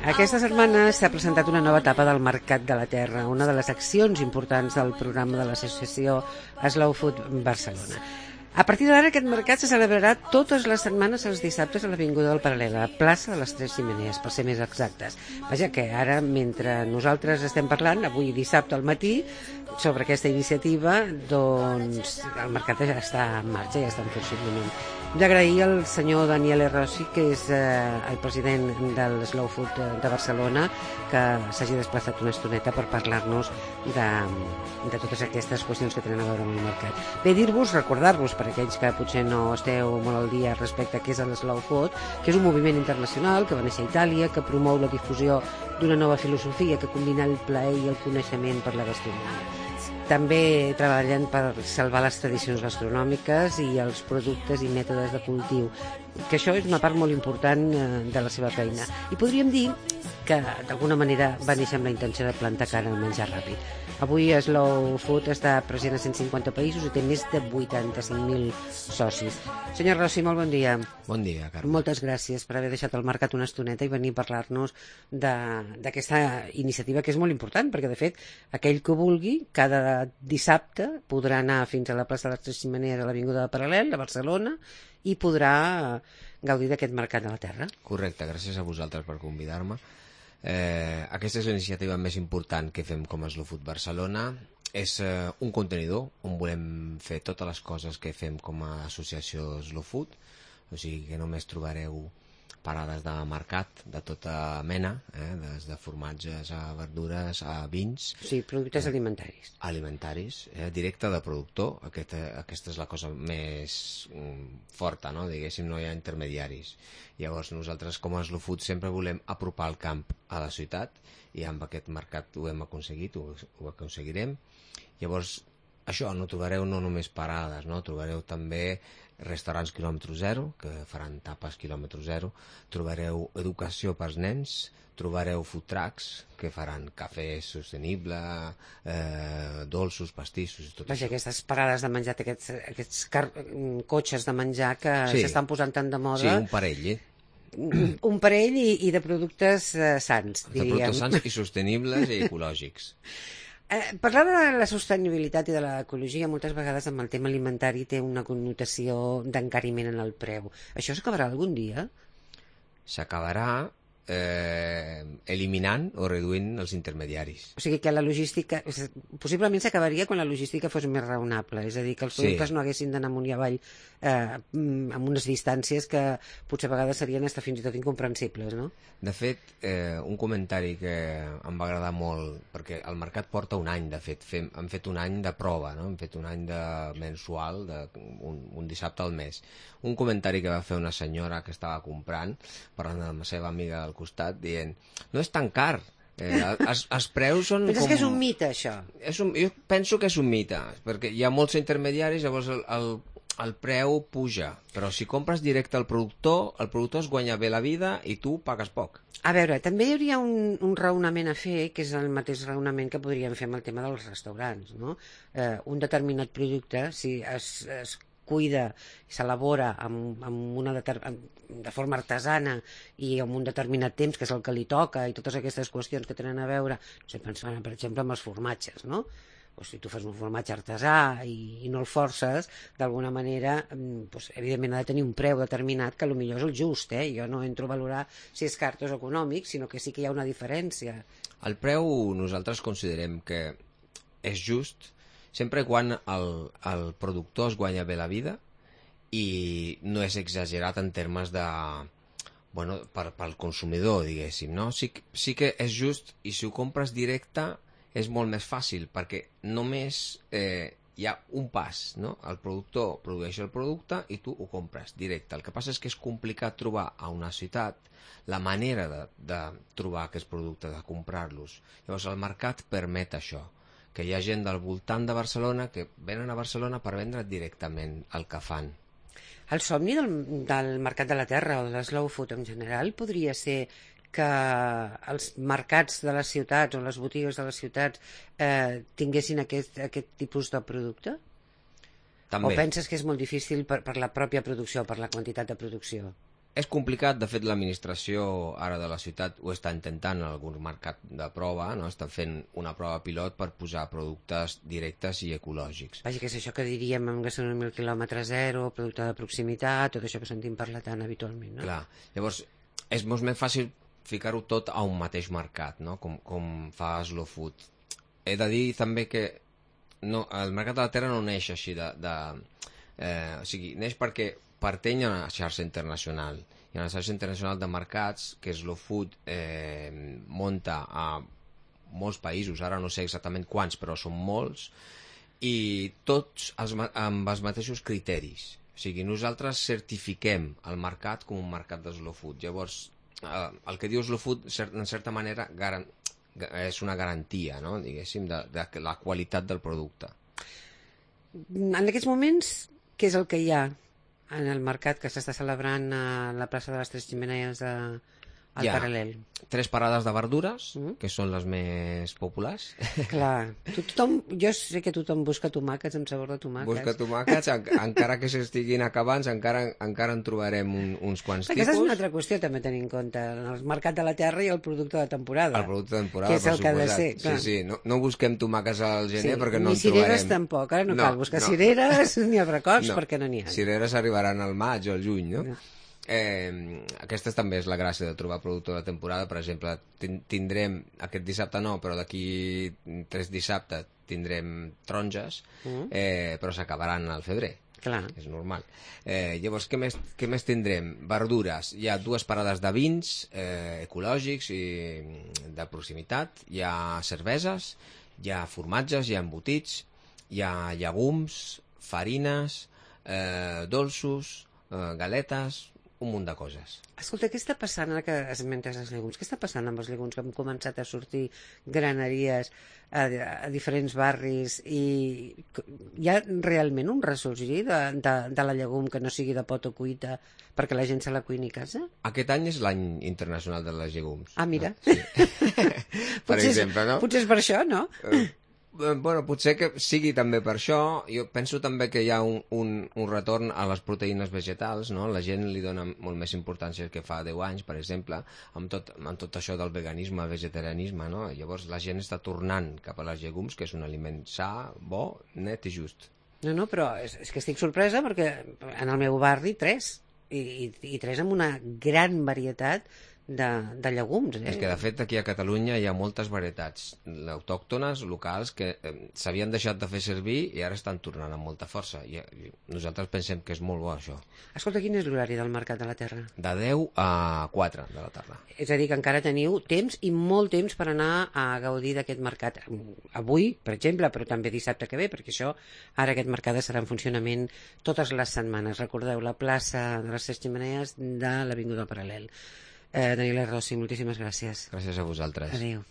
Aquesta setmana s'ha presentat una nova etapa del Mercat de la Terra, una de les accions importants del programa de l'associació Slow Food Barcelona. A partir d'ara aquest mercat se celebrarà totes les setmanes els dissabtes a l'Avinguda del Paral·lel, a la plaça de les Tres Xemeneies, per ser més exactes. Vaja que ara, mentre nosaltres estem parlant, avui dissabte al matí, sobre aquesta iniciativa, doncs el mercat ja està en marxa, ja està en funcionament. Vull agrair al senyor Daniele Rossi, que és el president del Slow Food de Barcelona, que s'hagi desplaçat una estoneta per parlar-nos de totes aquestes qüestions que tenen a veure amb el mercat. Bé, dir-vos, recordar-vos, per aquells que potser no esteu molt al dia respecte a què és el Slow Food, que és un moviment internacional que va néixer a Itàlia, que promou la difusió d'una nova filosofia que combina el plaer i el coneixement per la gastronomia. També treballen per salvar les tradicions gastronòmiques i els productes i mètodes de cultiu, que això és una part molt important de la seva feina. I podríem dir que d'alguna manera va néixer amb la intenció de plantar cara al menjar ràpid. Avui Slow Food està present a 150 països i té més de 85.000 socis. Senyor Rossi, molt bon dia. Bon dia, Carme. Moltes gràcies per haver deixat el mercat una estoneta i venir a parlar-nos d'aquesta iniciativa que és molt important, perquè de fet aquell que vulgui cada dissabte podrà anar fins a la plaça de les Tres Xemeneies a l'Avinguda del Paral·lel, a Barcelona, i podrà gaudir d'aquest mercat de la terra. Correcte, gràcies a vosaltres per convidar-me. Aquesta és l'iniciativa més important que fem com a Slow Food Barcelona. És un contenidor on volem fer totes les coses que fem com a associació Slow Food, o sigui que només trobareu parades de mercat de tota mena, des de formatges a verdures a vins. Sí, productes alimentaris. Alimentaris, directe de productor. Aquesta és la cosa més forta, no? Diguéssim, no hi ha intermediaris. Llavors nosaltres com a Slow Food sempre volem apropar el camp a la ciutat i amb aquest mercat ho hem aconseguit, ho aconseguirem. Llavors això, no trobareu no només parades, no? Trobareu també restaurants quilòmetre zero, que faran tapes quilòmetre zero, trobareu educació pels nens, trobareu food trucks, que faran cafè sostenible, dolços, pastissos i tot Vaja, això. aquestes parades de menjar, aquests cotxes de menjar que s'estan posant tant de moda. Sí, un parell, Un parell i de productes sants, diríem. De productes sants i sostenibles i ecològics. Parlar de la sostenibilitat i de l'ecologia moltes vegades amb el tema alimentari té una connotació d'encariment en el preu. Això s'acabarà algun dia? S'acabarà eliminant o reduint els intermediaris. O sigui que la logística possiblement s'acabaria quan la logística fos més raonable, és a dir, que els productes no haguessin d'anar amunt i avall amb unes distàncies que potser a vegades serien fins i tot incomprensibles, no? De fet, un comentari que em va agradar molt, perquè el mercat porta un any, de fet, hem fet un any de prova, no? Hem fet un any de mensual, un dissabte al mes. Un comentari que va fer una senyora que estava comprant, parlant amb la seva amiga del costat, dient, no és tan car, els preus són... Penses que és un mite, això? Jo penso que és un mite, perquè hi ha molts intermediaris, llavors el preu puja, però si compres directe al productor, el productor es guanya bé la vida i tu pagues poc. A veure, també hi hauria un raonament a fer, que és el mateix raonament que podríem fer amb el tema dels restaurants, no? Un determinat producte, si es cuida i s'elabora de forma artesana i en un determinat temps, que és el que li toca, i totes aquestes qüestions que tenen a veure, no sé, pensant, per exemple, amb els formatges, no? O si tu fas un formatge artesà i no el forces, d'alguna manera, doncs, evidentment ha de tenir un preu determinat que potser és el just, Jo no entro a valorar si és car o és econòmic, sinó que sí que hi ha una diferència. El preu nosaltres considerem que és just sempre quan el productor es guanya bé la vida i no és exagerat en termes de... Bueno, pel consumidor, diguéssim, no? Sí que és just, i si ho compres directe és molt més fàcil, perquè només hi ha un pas, no? El productor produeix el producte i tu ho compres directe. El que passa és que és complicat trobar a una ciutat la manera de trobar aquests productes, de comprar-los. Llavors el mercat permet això, que hi ha gent del voltant de Barcelona que venen a Barcelona per vendre directament el que fan. El somni del mercat de la terra o de l'slow food en general podria ser que els mercats de les ciutats o les botigues de les ciutats tinguessin aquest tipus de producte? També. O penses que és molt difícil per la pròpia producció, per la quantitat de producció? És complicat, de fet l'administració ara de la ciutat ho està intentant en algun mercat de prova, no? Estan fent una prova pilot per posar productes directes i ecològics. Vaja, que és això que diríem en gastronomia al quilòmetre zero, producte de proximitat, tot això que sentim parlar tan habitualment, no? Clar, llavors és molt més fàcil ficar-ho tot a un mateix mercat, no? Com fa Slow Food. He de dir també que el mercat de la terra no neix així o sigui, neix perquè pertany a una xarxa internacional. Hi ha una xarxa internacional de mercats que Slow Food munta a molts països, ara no sé exactament quants, però són molts, i tots amb els mateixos criteris. O sigui, nosaltres certifiquem el mercat com un mercat de Slow Food. Llavors, el que diu Slow Food, en certa manera, és una garantia, no? Diguéssim, de la qualitat del producte. En aquests moments, què és el que hi ha en el mercat que s'està celebrant a la plaça de les Tres Xemeneies al Paral·lel? 3 parades de verdures, que són les més populars. Clar, jo sé que tothom busca tomàquets amb sabor de tomàquets. Busca tomàquets, encara que s'estiguin acabant, encara en trobarem uns quants tipus. Aquesta és una altra qüestió també a tenir en compte, el mercat de la terra i el producte de temporada. El producte de temporada, que és el que ha de ser. Clar. Sí, no busquem tomàquets al gener perquè no en trobarem. Ni cireres tampoc, ara no cal buscar cireres ni abracots perquè no n'hi ha. Cireres arribaran al maig o al juny, no? Aquesta també és la gràcia de trobar producte de temporada. Per exemple, tindrem aquest dissabte no, però d'aquí 3 dissabtes tindrem taronges, però s'acabaran al febrer. Clar. És normal. Llavors, què més tindrem? Verdures. Hi ha 2 parades de vins ecològics i de proximitat. Hi ha cerveses, hi ha formatges, hi ha embotits, hi ha llegums, farines, dolços, galetes, un munt de coses. Escolta, què està passant ara que esmentes els llegums? Què està passant amb els llegums que han començat a sortir graneries a diferents barris i hi ha realment un ressorgir de la llegum que no sigui de pot o cuita perquè la gent se la cuini a casa? Aquest any és l'any internacional de les llegums. Ah, mira. No? Sí. Per exemple, no? Potser és per això, no? Bueno, potser que sigui també per això. Jo penso també que hi ha un retorn a les proteïnes vegetals, no? La gent li dona molt més importància que fa 10 anys, per exemple, amb tot això del veganisme, vegetarianisme, no? Llavors la gent està tornant cap a les llegums, que és un aliment sa, bo, net i just. No, però és que estic sorpresa perquè en el meu barri 3, i 3 amb una gran varietat de llegums. És que de fet aquí a Catalunya hi ha moltes varietats autòctones, locals, que s'havien deixat de fer servir i ara estan tornant amb molta força, i nosaltres pensem que és molt bo això. Escolta, quin és l'horari del Mercat de la Terra? De 10 a 4 de la tarda. És a dir, que encara teniu temps i molt temps per anar a gaudir d'aquest mercat avui, per exemple, però també dissabte que ve, perquè això, ara aquest mercat estarà en funcionament totes les setmanes. Recordeu, la plaça de les Tres Xemeneies de l'Avinguda Paral·lel. Daniela Rossi, moltíssimes gràcies. Gràcies a vosaltres. Adéu.